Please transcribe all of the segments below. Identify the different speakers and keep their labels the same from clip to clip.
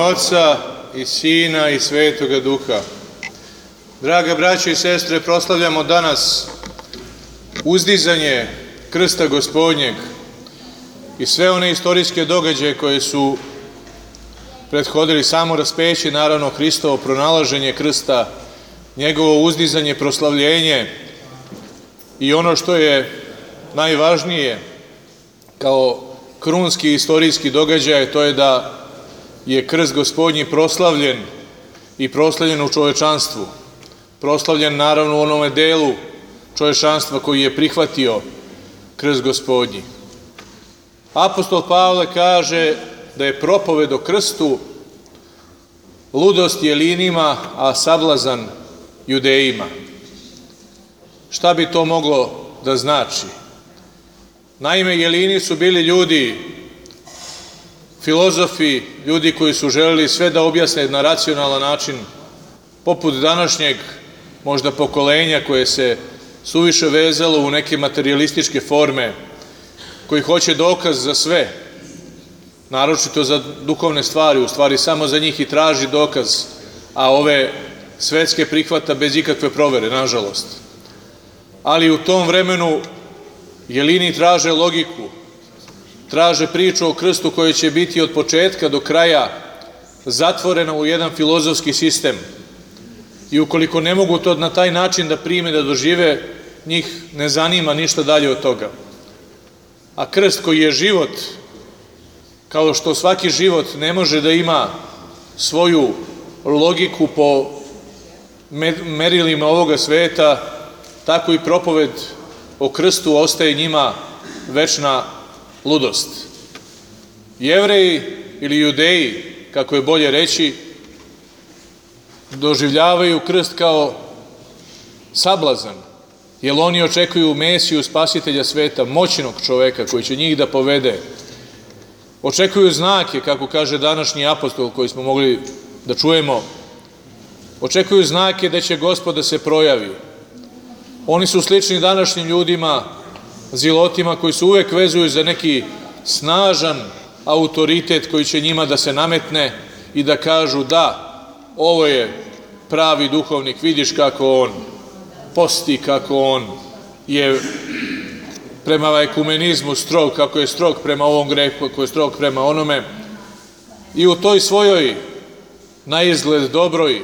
Speaker 1: Oca i Sina i Svetoga Duha. Draga braćo i sestre, proslavljamo danas uzdizanje krsta Gospodnjeg i sve one istorijske događaje koje su prethodili samo raspeće, naravno Hristovo pronalaženje krsta, njegovo uzdizanje, proslavljenje i ono što je najvažnije kao krunski istorijski događaj, to je da je krst Gospodnji proslavljen i proslavljen u čovečanstvu. Proslavljen naravno u onome delu čovečanstva koji je prihvatio krst Gospodnji. Apostol Pavle kaže da je propoved o krstu ludost Jelinima, a sablazan Judejima. Šta bi to moglo da znači? Naime, Jelini su bili ljudi, filozofi, ljudi koji su želeli sve da objasne na racionalan način, poput današnjeg možda pokolenja koje se suviše vezalo u neke materijalističke forme, koji hoće dokaz za sve, naročito za duhovne stvari, u stvari samo za njih i traži dokaz, a ove svetske prihvata bez ikakve provere, nažalost. Ali u tom vremenu Jelini traže logiku, traže priču o krstu koja će biti od početka do kraja zatvorena u jedan filozofski sistem. I ukoliko ne mogu to na taj način da prime, da dožive, njih ne zanima ništa dalje od toga. A krst koji je život, kao što svaki život ne može da ima svoju logiku po merilima ovoga sveta, tako i propoved o krstu ostaje njima večna ludost. Jevreji ili Judeji, kako je bolje reći, doživljavaju krst kao sablazan, jer oni očekuju Mesiju, spasitelja sveta, moćnog čoveka koji će njih da povede. Očekuju znake, kako kaže današnji apostol koji smo mogli da čujemo. Očekuju znake da će Gospod da se projavi. Oni su slični današnjim ljudima, zilotima koji se uvek vezuju za neki snažan autoritet koji će njima da se nametne i da kažu da, ovo je pravi duhovnik, vidiš kako on posti, kako on je prema ekumenizmu strog, kako je strog prema ovom grehu, kako je strog prema onome. I u toj svojoj naizgled dobroj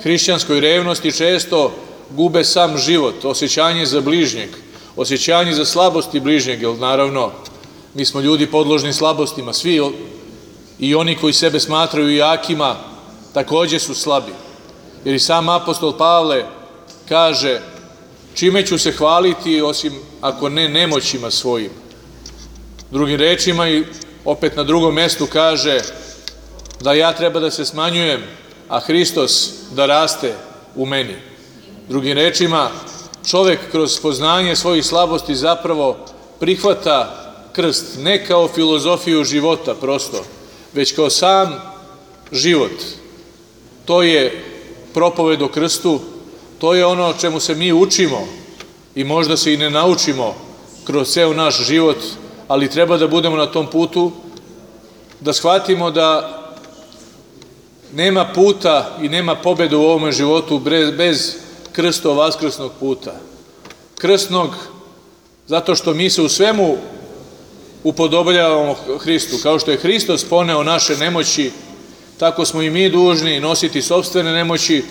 Speaker 1: hrišćanskoj revnosti često gube sam život, osjećanje za bližnjeg, osjećanje za slabosti bližnjeg, jer naravno mi smo ljudi podložni slabostima, svi i oni koji sebe smatraju jakima takođe su slabi. Jer i sam apostol Pavle kaže, čime ću se hvaliti osim ako ne nemoćima svojim. Drugim rečima i opet na drugom mestu kaže da ja treba da se smanjujem, a Hristos da raste u meni. Drugim rečima, čovek kroz poznanje svojih slabosti zapravo prihvata krst ne kao filozofiju života prosto, već kao sam život. To je propoved o krstu, to je ono čemu se mi učimo i možda se i ne naučimo kroz ceo naš život, ali treba da budemo na tom putu, da shvatimo da nema puta i nema pobede u ovome životu bez krsto vaskrsnog puta. Krstnog, zato što mi se u svemu upodobljavamo Hristu. Kao što je Hristos poneo naše nemoći, tako smo i mi dužni nositi sopstvene nemoći,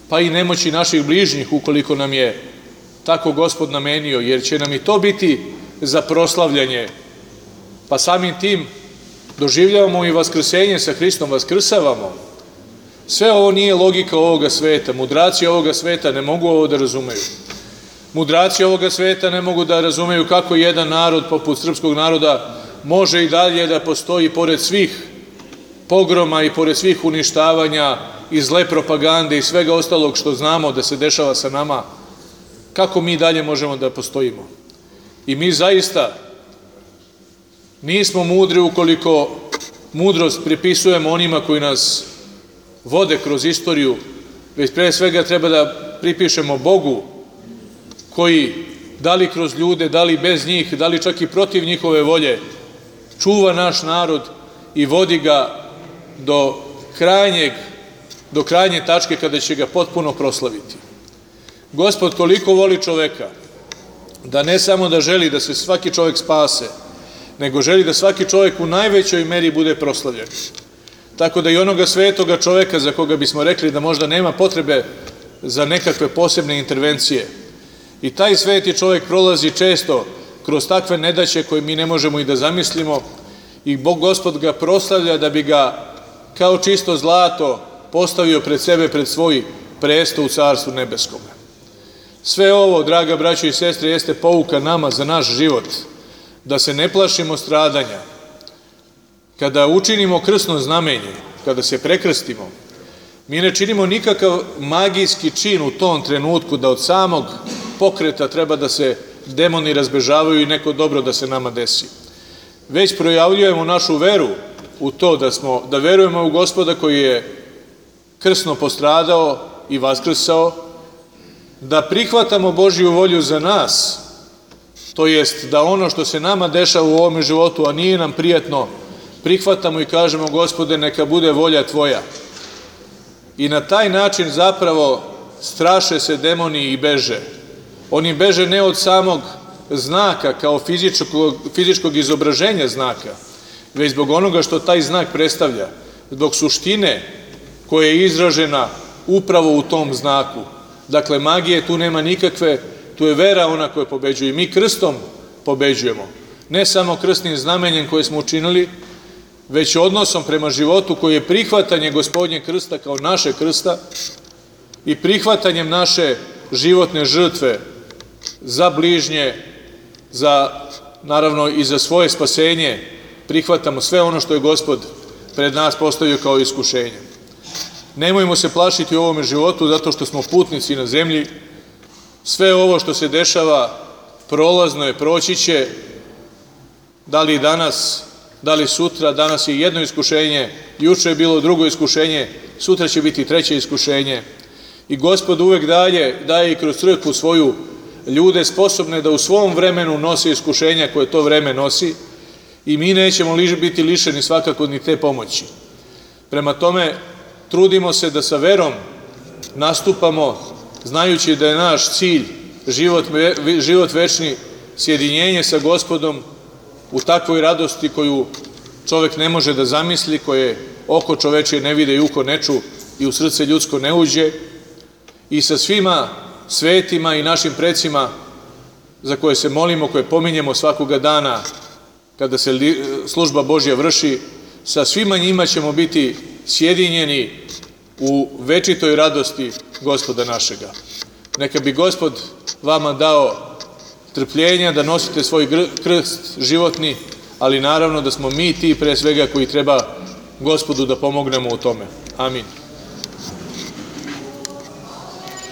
Speaker 1: pa i nemoći naših bližnjih, ukoliko nam je tako Gospod namenio, jer će nam i to biti za proslavljanje. Pa samim tim doživljavamo i vaskrsenje sa Hristom, vaskrsavamo. Sve ovo nije logika ovoga sveta. Mudraci ovoga sveta ne mogu ovo da razumeju. Mudraci ovoga sveta ne mogu da razumeju kako jedan narod poput srpskog naroda može i dalje da postoji pored svih pogroma i pored svih uništavanja i zle propagande i svega ostalog što znamo da se dešava sa nama. Kako mi dalje možemo da postojimo? I mi zaista nismo mudri ukoliko mudrost pripisujemo onima koji nas vode kroz istoriju, već pre svega treba da pripišemo Bogu koji, da li kroz ljude, da li bez njih, da li čak i protiv njihove volje, čuva naš narod i vodi ga do do krajnje tačke kada će ga potpuno proslaviti. Gospod toliko voli čoveka da ne samo da želi da se svaki čovek spase, nego želi da svaki čovek u najvećoj meri bude proslavljen. Tako da i onoga svetoga čoveka za koga bismo rekli da možda nema potrebe za nekakve posebne intervencije. I taj sveti čovek prolazi često kroz takve nedaće koje mi ne možemo i da zamislimo i Gospod ga proslavlja da bi ga kao čisto zlato postavio pred sebe, pred svoj presto u Carstvu nebeskome. Sve ovo, draga braćo i sestre, jeste pouka nama za naš život, da se ne plašimo stradanja. Kada učinimo krsno znamenje, kada se prekrstimo, mi ne činimo nikakav magijski čin u tom trenutku da od samog pokreta treba da se demoni razbežavaju i neko dobro da se nama desi. Već projavljujemo našu veru u to da verujemo u Gospoda koji je krsno postradao i vaskrsao, da prihvatamo Božju volju za nas, to jest da ono što se nama dešava u ovom životu, a nije nam prijatno, prihvatamo i kažemo Gospode, neka bude volja Tvoja. I na taj način zapravo straše se demoni i beže. Oni beže ne od samog znaka kao fizičkog izobraženja znaka, već zbog onoga što taj znak predstavlja, zbog suštine koja je izražena upravo u tom znaku. Dakle, magije tu nema nikakve, tu je vera ona koja pobeđuje. I mi krstom pobeđujemo. Ne samo krstnim znamenjem koje smo učinili, već odnosom prema životu koji je prihvatanje Gospodnjeg krsta kao naše krsta i prihvatanjem naše životne žrtve za bližnje, naravno i za svoje spasenje, prihvatamo sve ono što je Gospod pred nas postavio kao iskušenje. Nemojmo se plašiti u ovome životu zato što smo putnici na zemlji. Sve ovo što se dešava prolazno je, proći će, da li danas, da li sutra. Danas je jedno iskušenje, juče je bilo drugo iskušenje, sutra će biti treće iskušenje. I Gospod uvek daje i kroz crkvu svoju ljude sposobne da u svom vremenu nose iskušenja koje to vreme nosi i mi nećemo biti lišeni svakako ni te pomoći. Prema tome, trudimo se da sa verom nastupamo, znajući da je naš cilj život večni, sjedinjenje sa Gospodom u takvoj radosti koju čovek ne može da zamisli, koje oko čovečije ne vide i uho ne ču i u srce ljudsko ne uđe, i sa svima svetima i našim precima za koje se molimo, koje pominjemo svakoga dana kada se služba Božja vrši, sa svima njima ćemo biti sjedinjeni u večitoj radosti Gospoda našega. Neka bi Gospod vama dao trpljenja da nosite svoj krst životni, ali naravno da smo mi ti pre svega koji treba Gospodu da pomognemo u tome. Amin.